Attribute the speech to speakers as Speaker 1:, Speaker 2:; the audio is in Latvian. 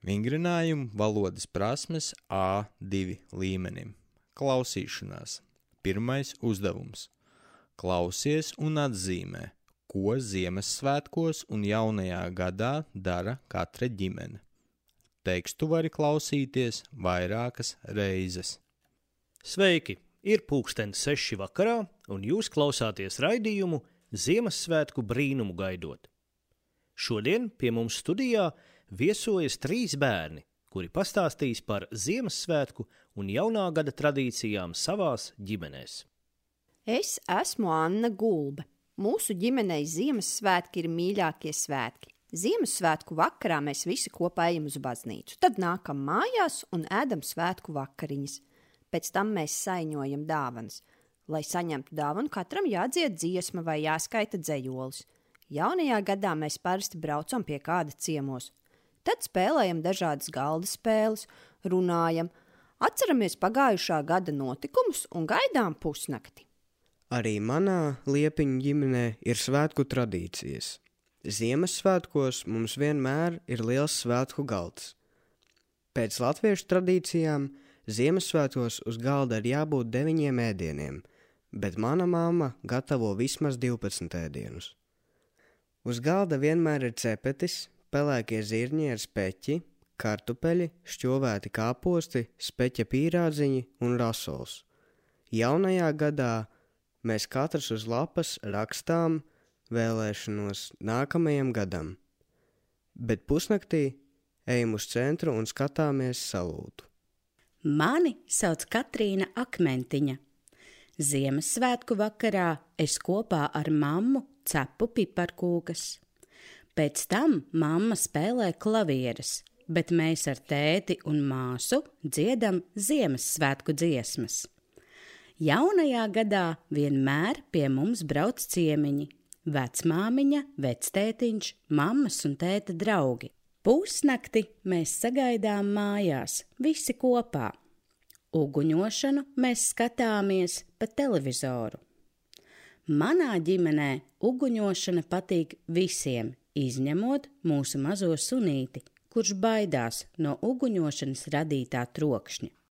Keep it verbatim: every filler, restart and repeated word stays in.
Speaker 1: Vingrinājumu valodas prasmes A divi līmenim. Klausīšanās. Pirmais uzdevums. Klausies un atzīmē, ko Ziemassvētkos un jaunajā gadā dara katra ģimene. Tekstu vari klausīties vairākas reizes.
Speaker 2: Sveiki! Ir pulkstens seši vakarā, un jūs klausāties raidījumu Ziemassvētku brīnumu gaidot. Šodien pie mums studijā viesojas trīs bērni, kuri pastāstīs par Ziemassvētku un jaunā gada tradīcijām savās ģimenēs.
Speaker 3: Es esmu Anna Gulbe. Mūsu ģimenei Ziemassvētki ir mīļākie svētki. Ziemassvētku vakarā mēs visi kopā ejam uz baznīcu, tad nākam mājās un ēdam svētku vakariņas. Pēc tam mēs saiņojam dāvanas. Lai saņemtu dāvanu, katram jādzied dziesma vai jāskaita dzejolis. Jaunajā gadā mēs parasti braucam pie kāda ciemos. Tad spēlējam dažādas galda spēles, runājam, atceramies pagājušā gada notikumus un gaidām pusnakti.
Speaker 4: Arī manā Liepiņu ģimenē ir svētku tradīcijas. Ziemassvētkos mums vienmēr ir liels svētku galds. Pēc latviešu tradīcijām Ziemassvētkos uz galda ir jābūt deviņiem ēdieniem, bet mana mamma gatavo vismaz divpadsmit ēdienus. Uz galda vienmēr ir cepetis, pelēkie zirņi ar speķi, kartupeļi, šķovēti kāposti, speķa pīrādziņi un rasols. Jaunajā gadā mēs katrs uz lapas rakstām vēlēšanos nākamajam gadam, bet pusnaktī ejam uz centru un skatāmies salūtu.
Speaker 5: Mani sauc Katrīna Akmentiņa. Ziemassvētku vakarā es kopā ar mammu cepu piparkūkas. Pēc tam mamma spēlē klavieres, bet mēs ar tēti un māsu dziedam Ziemassvētku dziesmas. Jaunajā gadā vienmēr pie mums brauc ciemiņi, vecmāmiņa, vectētiņš, mammas un tēta draugi. Pusnakti mēs sagaidām mājās, visi kopā. Uguņošanu mēs skatāmies pa televizoru. Manā ģimenē uguņošana patīk visiem, izņemot mūsu mazo sunīti, kurš baidās no uguņošanas radītā trokšņa.